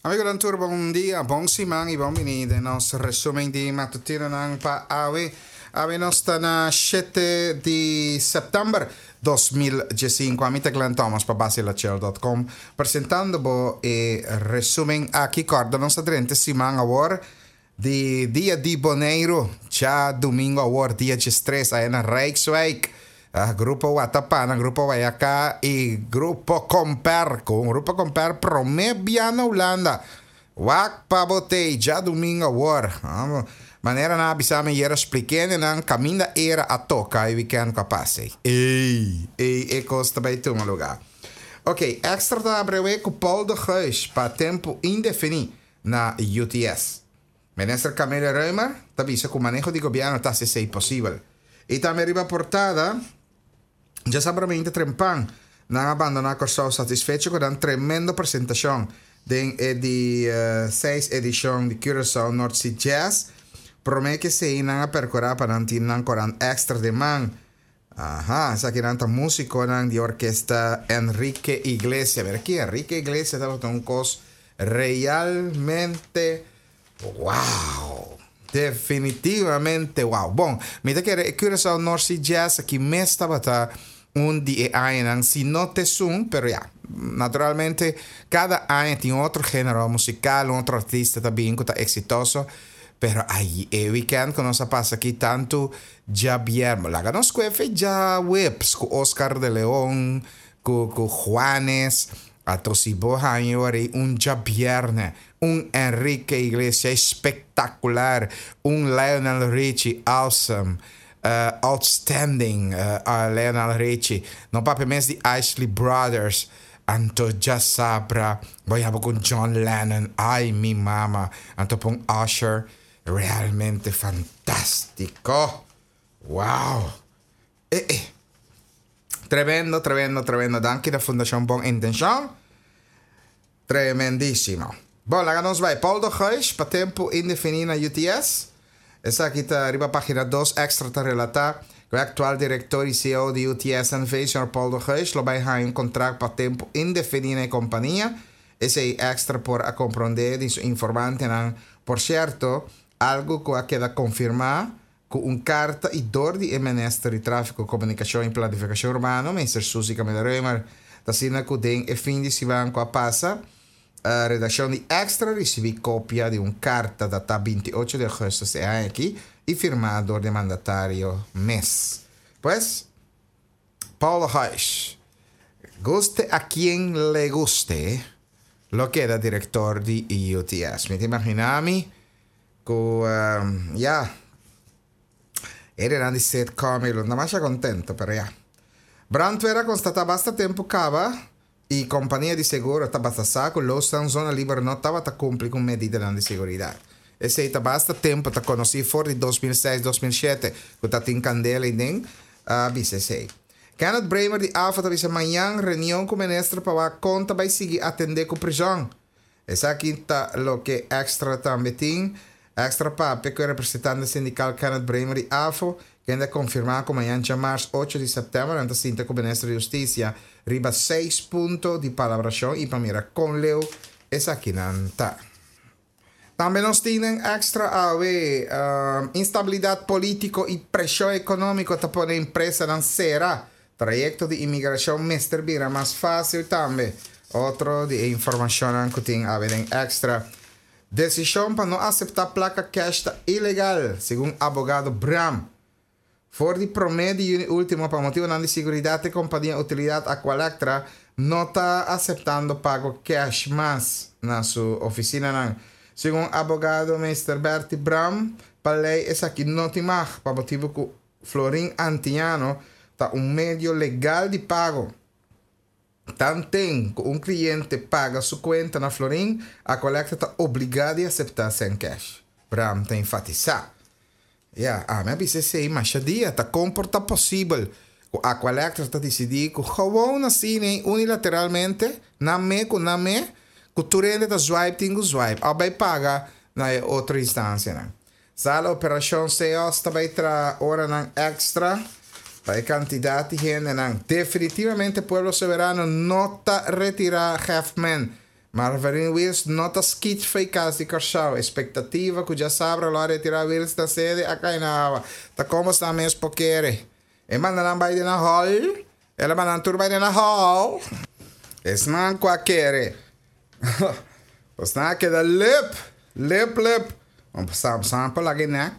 Amigonan tur bon dia, bon siman y bon bini den nos resumen di matutinonan pa awe. Awe nos ta na shete di september 2015. Ami ta Glenn Thomas pa basilachel.com presentando bo e resumen aki. Corda nos ta drenta siman awor Di dia di Boneiru, djadumingu awor dia diestres aya na Rijkswijk, Grupo Watapana, Grupo Wayaká i Grupo Komper ku un Grupo Komper promé bia na Hulanda. Wak pa bo tei djadumingu awor. Manera nan a bisa mi ayera splikende nan kaminda era a toka e wikènt ku a pasa ei. Ei, ei e kos ta bai tuma lugá. Oké, Extra ta abrewe ku Paul de Geus pa tempu indefiní. na UTS. Minister Camelia Römer ta bisa ku maneho di gobièrnu ta hasi esei posibel. I tambe riba portada, djasabraminta trempan nan a bandoná Kòrsou satisfecho ku nan tremendo presentashon den e di seis edishon di Curaçao North Sea Jazz. Promé ku esei nan a perkurá pa nan tin nan korant èkstra den man. Aha, esakinan ta músikonan di orkesta Enrique Iglesias. Mira aki, Enrique Iglesias tabata un kos realmente wow! Definitivamente wow! Bon, mi ta kere e Curaçao North Sea Jazz aki mes tabata un di e añanan, si no t'esun, pero ya, naturalmente kada aña tin otro género musikal, un otro artista ta bin ku ta eksitoso, pero ay, e weekend ku nos a pasa aki tantu Djabièrnè, laga nos kue fe djaweps ku Oscar de Leon, ku ku Juanes, ato si bo haña ora ei un djabièrnè, un Enrique Iglesias espektakular, un Lionel Richie awesome, outstanding Lionel Richie, no papia mes di Isley Brothers, anto djasabra bo yaba ku John Lennon, ay mi mama, anto pon Usher, Realmente fantástico! Wow! Eh eh. Tremendo, tremendo, tremendo. Danki na Fundacion Bon Intencion. Tremendísimo. Bon, laga nos bai. Paul de Geus pa tempo indefini na UTS. Esaki ta riba pagina 2 extra ta relata ku e aktual direktor i CEO di UTS NV, señor Paul de Geus, lo bai haña un kontrakt pa tempo indefini na e kompania. Esei Extra por a komprondé di su informantenan. Por sierto, algu ku a keda konfirmá ku un karta i dor di e Minister di Tráfiko, Komunikashon i Planifikashon Urbano, Minister Suzy Camelia-Römer, ta asina ku den e fin di siman ku a pasa, redakshon di Extra risibí kopia di un karta datá 28 di ougùstùs e aña aki i firmá dor di e mandatario mes. Pues. Paul Huis, Guste a quien le guste, lo keda director di UTS. Mi ta imagina mi cu ya, hende di sitcom y lo ta masha contento, pero ya. Brandweer a constata basta tempo caba y compania di seguro tabata sa cu Losdan Zona Liber no tabata cumpli cu medidanan di seguridad. Esey ta basta tempo ta conoci for di 2006, 2007 cu ta tin candela y den a bisa esey. Kenneth Bremer di AFA ta bisa mañan reunion cu minister pa wak con ta bay sigui atende cu prison. Esaki ta loke Extra tambe tin. Extra papia cu e representante sindical Kenneth Bremer di AFO, kende a confirma cu mañan djamars ocho di september nan ta sinta cu minister di Husticia riba seis punto di palabracion y pa mira con leu esakinan ta. Tambe nos tin den Extra awe, Instabilidad politico y presion economico ta pone empresanan cera. Trayecto di inmigracion mester bira mas facil tambe. Otro di e informacionnan cu tin awe den Extra. Decision pa no acepta placa cash ta ilegal, segun abogado Bram. For di promé di yüni último, pa motibunan di siguridat e kompania Utilidad Aqualectra no ta aseptando pago kèsh mas na su ofisinanan. Segun abogado Meester Bertie Bram, pa lei esaki no tin mag, pa motibu ku florin antiano ta un medio legal di pago. Tanten ku un kliente paga su kuenta na florin, Aqualectra ta obligá di aseptá sèn kèsh, Bram ta enfatisá. Ya, ami a bisa esei masha dia, ta kon por ta posibel ku Aqualectra ta disidí ku gewoon asina unilateralmente, nan me ku nan me, ku tur hende ta swipe tin ku swipe òf bai paga na e otro instansianan. Sala Operashon CEOS ta bai traha oranan èkstra pa e kantidat di hendenan. Definitivamente Pueblo Soberano no ta retirá Hefman. Marvelyne Wiels no ta skit fei kas di Kòrsou. Espektativa ku djasabra lo a retirá Wiels na sede a kai na awa. Ta komo sa mes por kere. E manda nan bai den nan hòl. El a manda nan tur bai den nan hòl. Esnan ku a kere. Bosnan a keda lep. Lep lep. Bosnan por laga e nek.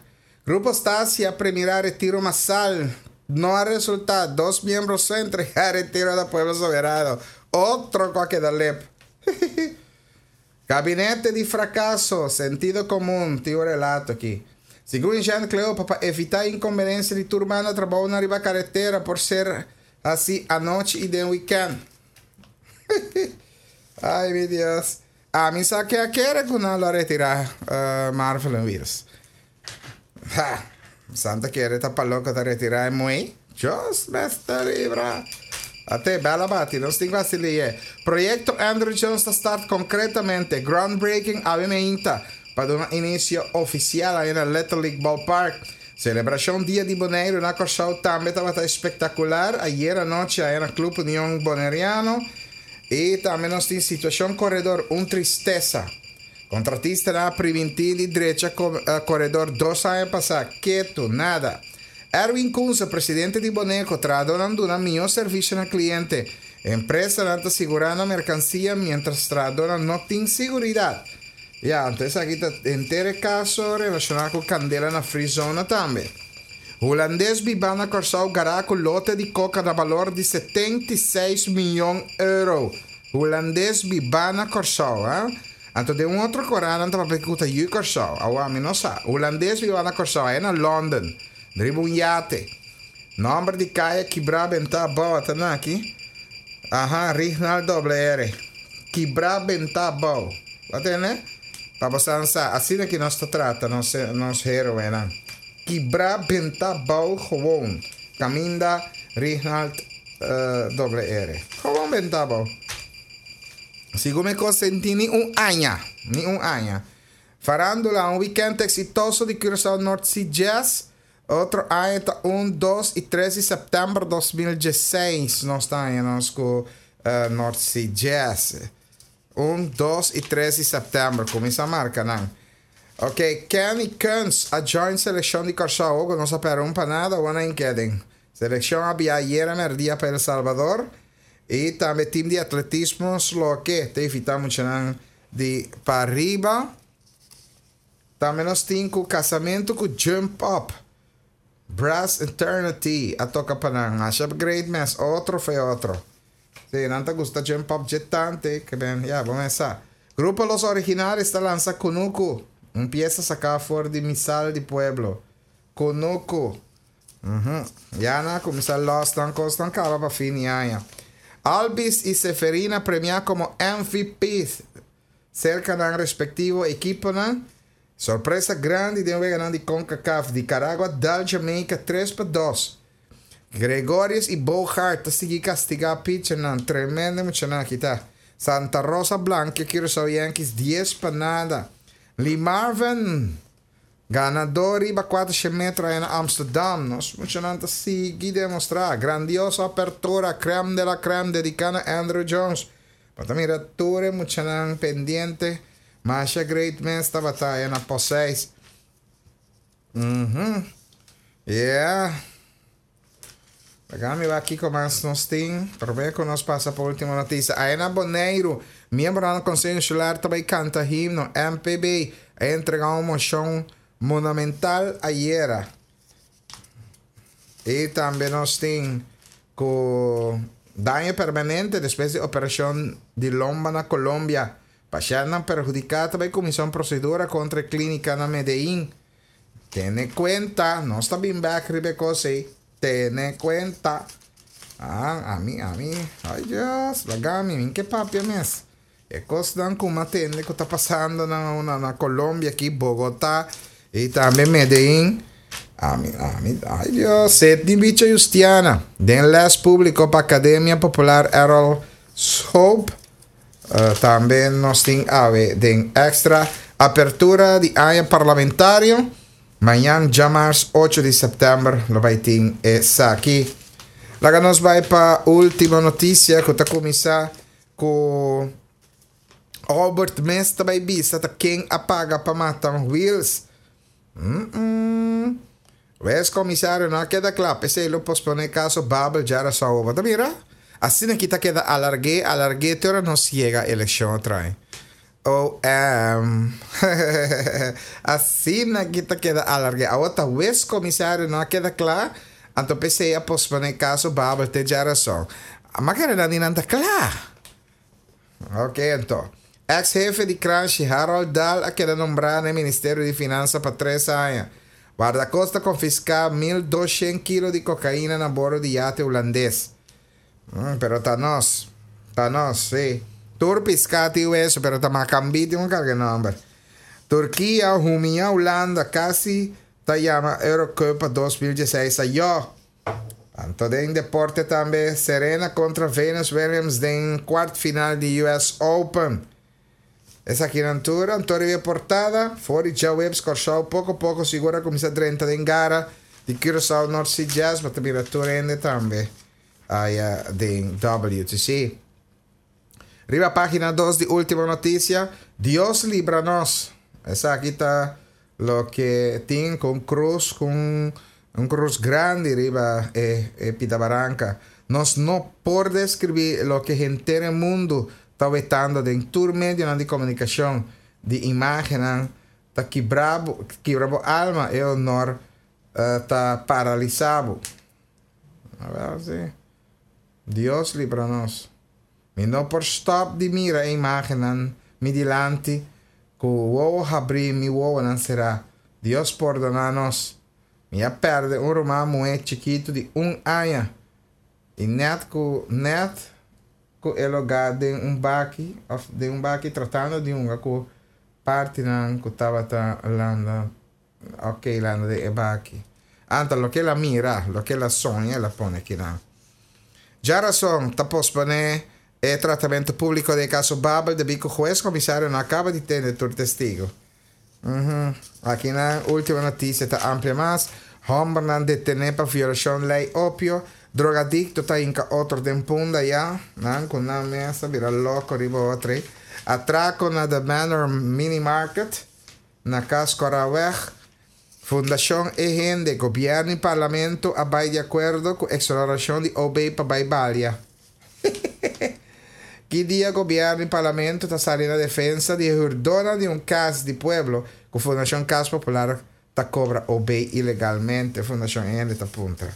Grupo Stasia a premirá retiro masal. No a resultá. Dos miembro so a entregá retiro na Pueblo Soberano. Otro ku a keda lep. Gabinete di frakaso, sentido komun, tin un relato aki. Segun Jean Cleopa, pa evitá inkonbenensia di tur banda trabounan riba karetera por ser hasí anochi i den wikènt. Ay mi Dios. Ami sa ke a kere ku nan lo a retirá Marvelyn Wiels. Ha! Santa kere ta pa loko ta retirá e muhé. Dios mester libra. Ate, bel a bati, nos tin ku hasi liye. Proyekto Andrew Jones ta start konkretamente. Groundbreaking awe meinta pa duna inisio ofisial aye na Little League Ballpark. Selebrashon Dia di Boneiru na Kòrsou tambe tabata espektakular ayera anochi aye na Club Union Boneriano. I tambe nos tin situashon koredor un tristesa. Kontratistanan a primintí di drecha koredor dos aña pasá, ketu, nada. Erwin Kunze, presidente di Boneco, trahadónan duna mihó servisio na kliente. Empresanan ta sigurá nan merkansia miéntras trahadónan no tin siguridat. Ya, anto esaki ta henter e kaso relashoná ku kandela na Free Zona tambe. Hulandes bibá na Kòrsou gará ku lote di koka na balor di 76 miyon euro. Hulandes bibá na Kòrsou, ha? Anto den un otro korant nan ta papia ku ta yu Kòrsou. Awor ami no sa. Hulandes bibá na Kòrsou, aya na London, riba un yate. Nòmber di kaya Kibrá Bentá Abou ata na aki. Aha, Rignald doble R. Kibrá Bentá Abou. Bo a tende? Pa bo sa sa, asina ki nos ta trata nos nos héroenan. Kibra benta bou gewoon. Caminda Rignald doble R. Gewoon benta bou. Sigun mi cos senti ni un aña. Ni un aña. Farandula, un weekend exitoso di Curaçao North Sea Jazz. Otro aña ta un, dos y tres di september 2016 nos ta haña nos cu North Sea Jazz. Un, dos y tres di september. Cuminsa marca nan. Ok, Kenny Kunz a join seleccion di Kòrsou. Ogo nos a pèrdè un pa nada, awor nan ke den. Seleccion a bia ayera mèrdia pa El Salvador. I tambe team di atletismo Sloke ta invitá muchanan di pariba. Tambe nos tin ku kasamentu ku Jump Up. Brass Eternity a toka pa nan. Masha great mes, otro fe otro. Sí, nan ta gusta Jump Up dje tante ke ben, ya, bo mes sa. Grupo Los Originales ta lansa Kunuku, un piesa saká for di Misal di Pueblo. Kunuku. Uhum. Ya nan a kuminsá lòs nan kosnan kaba pa fin di aña. Albies i Seferina premiá komo MVP serka nan respektivo ekiponan. Sorpresa grandi den weganan di Concacaf, Nicaragua dal Jamaica 3-2. Gregorius i Bogaert ta sigui kastigá pitchernan. Tremendo muchanan aki ta. Santa Rosa blankia Curaçao Yankees 10-0. Lee Marvin ganadó riba 400 metro aya na Amsterdam. Nos muchanan ta sigui demostrá. Grandioso apertura, crème de la crème dediká na Andruw Jones. Bo ta mira tur e muchanan pendiente. Masha great mes tabata aya na post 6. Mhm. Yeah. Laga mi wak kiko mas nos tin. Prome ku nos pasa pa ultimo notisia. Aya na Boneiru, miembronan di Konseho Insular ta bai kanta himno. MPB a entrega un moshon monumental ayera. I tambe nos tin ku daño permanente despues di operashon di lomba na Colombia. Pashèntnan perhudiká ta bai kuminsá un prosedura kontra e klínika na Medellín. Tene kuenta, nos ta bin bèk riba e kos ei. Tene kuenta. Ah, ami, ami, ay Dios, laga mi, mi ke papia mes. E kosnan ku mi a tende ku ta pasando na na na Colombia aki, Bogotá i tambe Medellín. Ami, ami, ay Dios, Sidney Bicho Justiana, den lès públiko pa Akademia Popular Errol Schoop. Tambe nos tin awe den Extra apertura di aña parlamentario. Mañan djamars ocho di sèptèmber lo bai tin esaki. Laga nos bai pa ultimo notisia ku ta kuminsá ku. Albert mes ta bai bisa ta ken a paga pa mata Wiels. Mm-mm. Wes komisario no a keda kla, p'esei lo posponé kaso Babel djarason. Bo ta mira? Asina ki ta keda alarg'é, alarg'é te ora nos yega elekshon otra. OM. Asina ki ta keda alarg'é. Awor ta wes komisario no a keda kla, anto p'esei a posponé kaso Babel te djarason. Ma kere nan di nan ta kla. Ok anto. Ex hefe di Kranshi Harold Dahl a keda nombrá na e Ministerio di Finansa pa tres aña. Wardakosta konfiská 1200 kilo di kokaina na bordo di yate hulandes. Pero ta nos. Ta nos, sí. Tur piská tin weso, pero ta makambí tin un karga e nòmber. Turkia humiá Hulanda kasi ta yama Eurocup pa 2016 ayó. Anto den deporte tambe, Serena kontra Venus Williams den kwart final di US Open. Esakinan tur anto riba e portada, for di djaweps Kòrsou poko poko sigur a kuminsá drenta den gara di Curaçao North Sea Jazz, bo ta mira tur hende tambe aya den WTC. Riba página dos di Ultimo Noticia, Dios libra nos. Esaki ta loke tin ku un krus, ku un krus grandi riba e e pida baranka. Nos no por deskribí loke henter e mundu ta wetando den tur medionan di komunikashon, di imágennan ta kibra bo, kibra bo alma, e honor ta paralisá bo. Awèl si. Dios libra nos. Mi no por stop di mira e imagennan mi dilanti ku wowo habrí mi wowonan será. Dios pordoná nos. Mi a pèrdè un ruman muhé chikitu di un aña i nèt ku nèt ku e logá den un baki òf den un baki tratando di hunga ku partinan ku tabata landa Ok, landa den e baki. Anta loke el a mira, loke el a soña, el a pone akinan. Djarason ta posponé e tratamentu públiko den e kaso Babel debí ku hues komisario no a kaba di tende tur testigu. Uhum. Akinan último notisia ta amplia mas. Hòmbernan detené pa violashon lei opio. Drogadikto ta hinka otro den punda ya. Nan ku nan mes a bira loko riba otro. Atrako na The Manor Mini Market. Na Cas Coraweg, Fundacion E Hende, Gobierno y Parlamento a bay di acuerdo cu exoneracion di OB pa bay balia. Ki dia Gobierno y Parlamento ta sali na defensa di e huurdonan di un cas di pueblo cu Fundacion Cas Popular ta cobra OB ilegalmente, Fundacion E Hende ta puntra.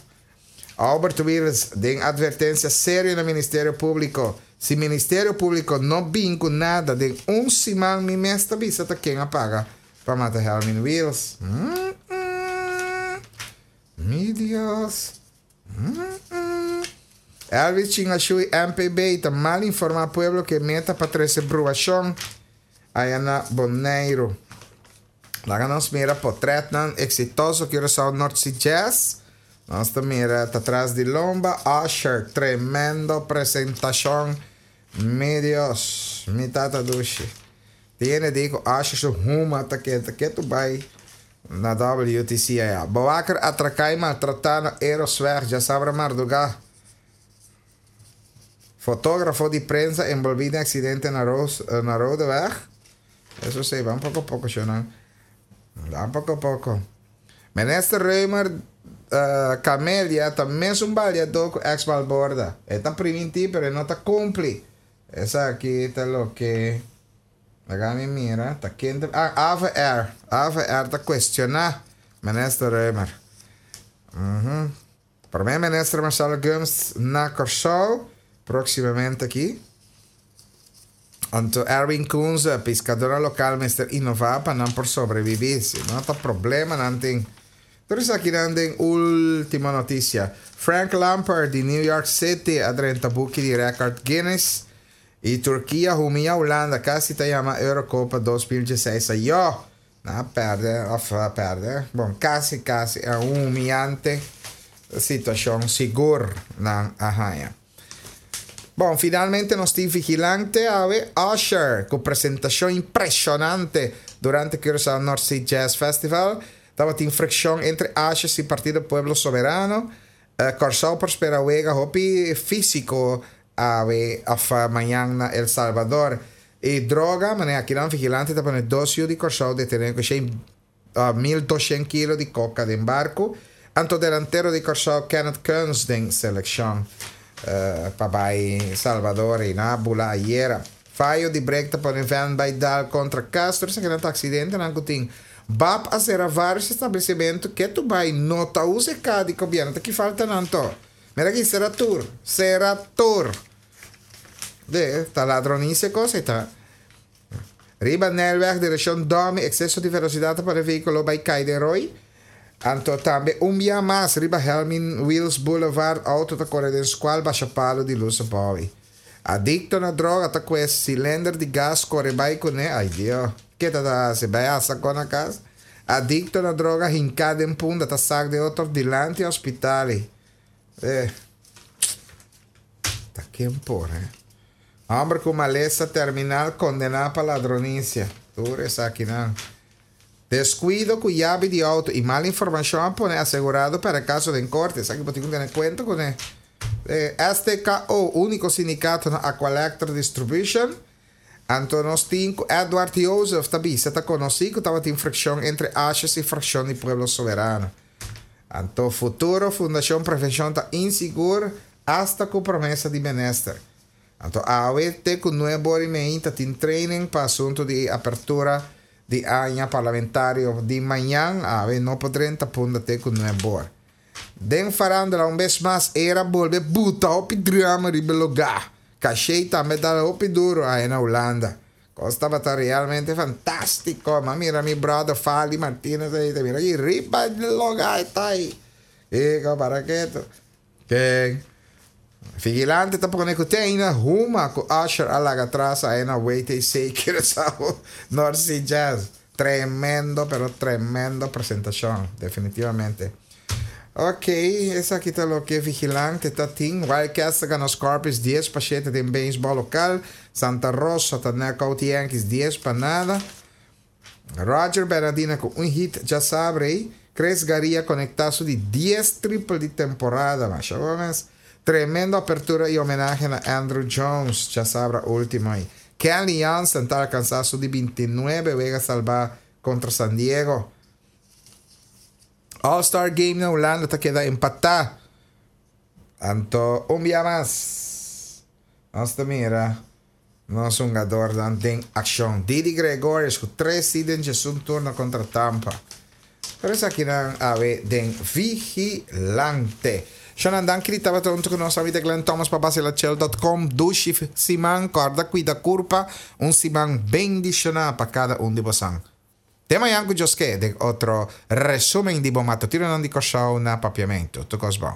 Albert Wiels den advertencia serio na Ministerio Publico, Si Ministerio Publico no bin cu nada den un siman mi mes ta bisa ta ken a paga pa mata Helmin Wiels. Mi Dios. Elvis Chingashui MPB ta mal informa pueblo cu e meta pa trece bruacion aya na Boneiru. Laga nos mira potretnan exitoso Curaçao North Sea Jazz. Nos ta mira ta tras di lomba Usher, tremendo presentacion. Mi Dios, mi tata dushi. Tiene di cu Usher su huma ta keda ketu bay na WTC aya. Bewaker atraca y maltrata na Erosweg djasabra marduga. Fotografo di prensa envolvi den accidente na na Rodeweg. Eso sí, van poco a poco, shonan. Van poco a poco. Minister Römer Camelia ta mesun baliadó ku ex Balborda. E ta primintí pero e no ta kumpli. Esaki ta loke laga mi mira ta ken ta ah AVR. AVR ta kuestioná Minister Römer. Prome Minister Marcelo Gumbs na Kòrsou próksimamente aki. Anto Erwin Kunze, piskadornan lokal mester inová pa nan por sobrebibí, si no ta problema nan tin. Tur esakinan den Ultimo Noticia. Frank Lampard di New York City a drenta buki di rèkòrt Guinness i Turkia humiá Hulanda kasi ta yama Eurocopa 2016 ayó. Nan a pèrdè òf a pèrdè, bon kasi kasi e un humiante situashon sigur nan a haña. Bon, finalmente nos tin Vigilante awe, Usher, ku presentashon impreshonante durante Curaçao North Sea Jazz Festival. Tabatin frikshon entre Ushers i Partido Pueblo Soberano. Kòrsou por spera wega hopi físiko awe òf mañan na El Salvador. I droga, manera akinan Vigilante ta pone dos yu di Kòrsou detené ku shen 1200 kilo di koka den barku. Anto delantero di Kòrsou Kenneth Kunz den selekshon pa bai Salvador i nan a bula ayera. Fayo di brek ta pone vèn bai dal kontra kas. Tur esakinan ta aksidentenan ku tin. Bap a sera vários establesimentu ke tu bai no ta usa e ka di gobièrnu. Ta ki falta nan to? Mira aki sera tur, sera tur. De, ta ladronisia kos ei ta. Riba Nijlweg direccion Domi exceso di velocidad ta pone vehiculo bay cay den rooi. Anto tambe un bia mas riba Helmin Wiels Boulevard auto ta core den scual basha palo di luz abao. Adicto na droga ta cue cilinder di gas core bay cune, ay Dio, ke ta ta haci? Bay hasa con na cas? Adicto na droga hinca den punda ta sak den otro dilanti hospital. Eh. Ta ken por, eh? Homber ku malesa terminal kondená pa ladronisia. Tur esakinan. Deskuido ku yabi di outo i mal informashon a pone asegurado pèrdè kaso den korte. Esaki bo tin ku tene kuenta kuné. STKO, úniko sindikato na Aqualectra Distribution. Anto nos tin ku Edward Joseph ta bisa ta konosí ku tabatin frikshon entre Asjes i frakshon di Pueblo Soberano. Anto futuro Fundashon Prevenshon ta insigur asta ku promesa di minister. Anto awe te ku nuebe ora i mei ta tin training pa asuntu di apertura di aña parlamentario di mañan. Awe no por drenta punda te ku nuebe or. Den farandula un bes mas era bolbe buta hopi drama riba e lugá. Kashey tambe dal hopi duro ahe na Hulanda. Kos tabata realmente fantástiko. M'a mira mi brother Fali Martinez ei ta mira aki riba e lugá e ta ei. Kiko para ketu. Ken Vigilante ta pone ku te ainda huma ku Usher a laga atras ae na WTC Curaçao North Sea Jazz. Tremendo pero tremendo presentashon, definitivamente. Ok, esaki ta loke Vigilante ta tin. Wildcats ta gana Scorpions 10-7 den beisbòl lokal. Santa Rosa ta knockout Yankees 10-0. Roger Bernadina ku un hit djasabre ei. Chris Garia konektá su di dies triple di temporada. Masha bon mes. Tremendo apertura i homenahe na Andruw Jones djasabra último ei. Kenley Jansen ta alkansá su di bintinuebe wega salbá kontra San Diego. All Star Game na Hulanda ta keda empatá. Anto un bia mas nos ta mira. Nos hungadornan den akshon. Didi Gregorius ku tres si den djesun turno kontra Tampa. Pero esakinan awe den Vigilante. Shonan danki di tabata huntu ku nos. Ami ta Glenn Thomas pa Basilachel dot com. Dushi siman. Kòrda kuida kurpa. Un siman bendishoná pa kada un di bosan. Te mañan ku Dios ke den otro resumen di bo matutinonan di Kòrsou na Papiamentu. Tur kos bon.